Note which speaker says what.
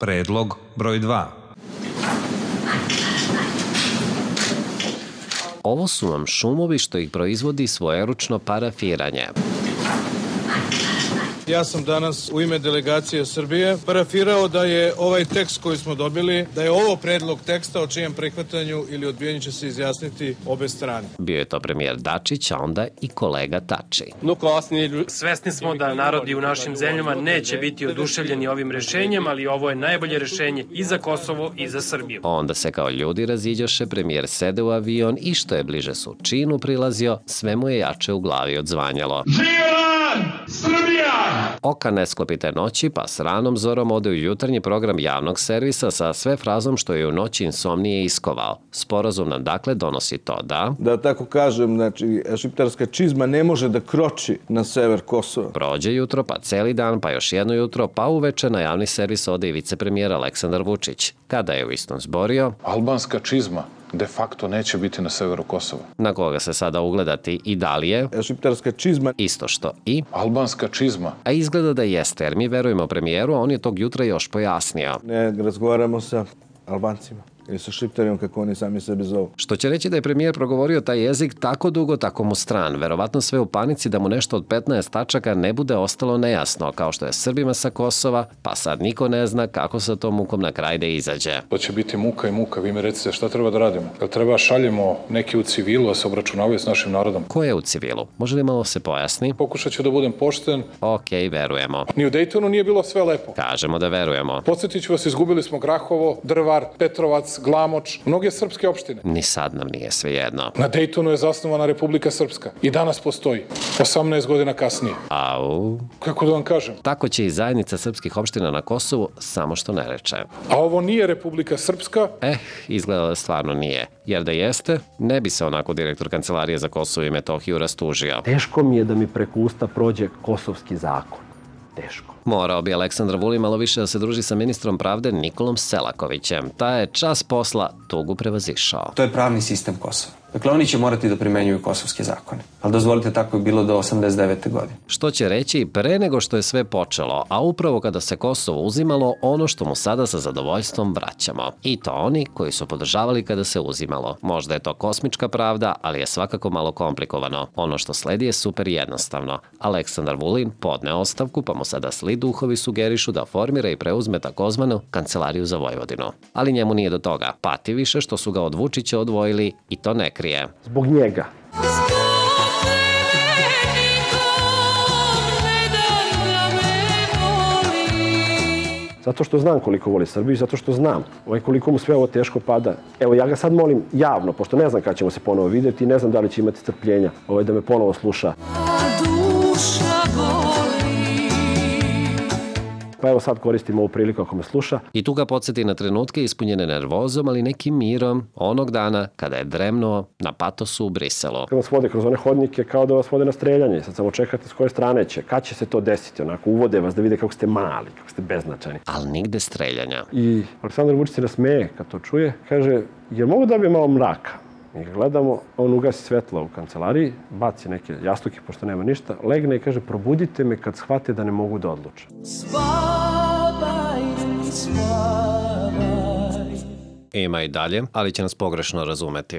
Speaker 1: Predlog broj 2.
Speaker 2: Ovo su vam šumovi što ih proizvodi svojeručno parafiranje.
Speaker 3: Ja sam danas u ime delegacije Srbije parafirao da je ovaj tekst koji smo dobili, da je ovo predlog teksta o čijem prihvatanju ili odbijanju će se izjasniti obe strane.
Speaker 2: Bio je to premijer Dačić, a onda i kolega Tači.
Speaker 4: Svesni smo da narodi u našim zemljama neće biti oduševljeni ovim rešenjem, ali ovo je najbolje rešenje i za Kosovo i za Srbiju.
Speaker 2: Onda se kao ljudi raziđoše, premijer sede u avion i što je bliže Surčinu prilazio, sve mu je jače u glavi odzvanjalo. Oka ne sklopite noći, pa s ranom zorom ode u jutarnji program javnog servisa sa sve frazom što je u noći insomnije iskovao. Sporazum nam dakle donosi to da
Speaker 5: tako kažem, znači, šiptarska čizma ne može da kroči na sever Kosova.
Speaker 2: Prođe jutro, pa celi dan, pa još jedno jutro, pa uveče na javni servis ode i vicepremijer Aleksandar Vučić. Kada je u istom zborio,
Speaker 6: albanska čizma de facto neće biti na severu Kosova.
Speaker 2: Na koga se sada ugledati i da li je
Speaker 5: šiptarska čizma
Speaker 2: isto što i
Speaker 6: albanska čizma.
Speaker 2: A izgleda da jeste, jer mi verujemo premijeru, a on je tog jutra još pojasnio.
Speaker 5: Ne razgovaramo sa Albancima ili sa Šiptarijom, kako oni sami sebe zovu.
Speaker 2: Što će reći da je premijer progovorio taj jezik tako dugo, tako mu stran. Verovatno sve u panici da mu nešto od 15 tačaka ne bude ostalo nejasno, kao što je Srbima sa Kosova, pa sad niko ne zna kako sa tom mukom na kraj da izađe.
Speaker 6: To će biti muka i muka. Vi mi recite šta treba da radimo? Jel treba šaljemo neki u civilu, a se obračunavaju s našim narodom?
Speaker 2: Ko je u civilu? Može li malo se pojasni?
Speaker 6: Pokušat ću da budem pošten.
Speaker 2: Okej, verujemo.
Speaker 6: Ni u Dejtonu nije bilo sve lepo.
Speaker 2: Kažemo da verujemo.
Speaker 6: Podsjetit ću vas, izgubili smo Grahovo, Drvar, Petrovac, Glamoč, mnoge srpske opštine.
Speaker 2: Ni sad nam nije svejedno.
Speaker 6: Na Dejtonu je zasnovana Republika Srpska i danas postoji, 18 godina kasnije.
Speaker 2: Au.
Speaker 6: Kako da vam kažem?
Speaker 2: Tako će i zajednica srpskih opština na Kosovu, samo što ne reče.
Speaker 6: A ovo nije Republika Srpska?
Speaker 2: Izgleda da stvarno nije. Jer da jeste, ne bi se onako direktor Kancelarije za Kosovo i Metohiju rastužio.
Speaker 7: Teško mi je da mi preko usta prođe kosovski zakon. Teško.
Speaker 2: Morao bi Aleksandar Vulin malo više da se druži sa ministrom pravde Nikolom Selakovićem. Taj je čas posla tugu prevazišao.
Speaker 8: To je pravni sistem Kosova. Dakle, oni će morati da primenjuju kosovske zakone. Ali dozvolite, tako je bilo do 89. godine.
Speaker 2: Što će reći pre nego što je sve počelo, a upravo kada se Kosovo uzimalo, ono što mu sada sa zadovoljstvom vraćamo. I to oni koji su podržavali kada se uzimalo. Možda je to kosmička pravda, ali je svakako malo komplikovano. Ono što sledi je super jednostavno. Aleksandar Vulin podne ostavku, pa mu sada sli duhovi sugerišu da formira i preuzme takozvanu Kancelariju za Vojvodinu. Ali njemu nije do toga. Pati više što su ga od Vučića odvojili i to ne krije.
Speaker 7: Zbog njega. Zato što znam koliko voli Srbiju, zato što znam koliko mu sve ovo teško pada. Evo, ja ga sad molim javno, pošto ne znam kada ćemo se ponovo vidjeti i ne znam da li će imati strpljenja da me ponovo sluša. Pa evo sad koristim ovu priliku ako me sluša.
Speaker 2: I tu ga podsjeti na trenutke ispunjene nervozom, ali nekim mirom onog dana kada je dremnuo na patosu u Briselu.
Speaker 7: Kad vas vode kroz one hodnike kao da vas vode na streljanje. Sad samo čekate s koje strane će. Kad će se to desiti? Onako uvode vas da vide kako ste mali, kako ste beznačajni.
Speaker 2: Ali nigde streljanja.
Speaker 7: I Aleksandar Vučić se nasmeje kad to čuje. Kaže, jel mogu da bi malo mraka? Mi ga gledamo, on ugasi svetlo u kancelariji, baci neke jastuke, pošto nema ništa, legne i kaže, probudite me kad shvate da ne mogu da odluče.
Speaker 2: Ima i dalje, ali će nas pogrešno razumeti.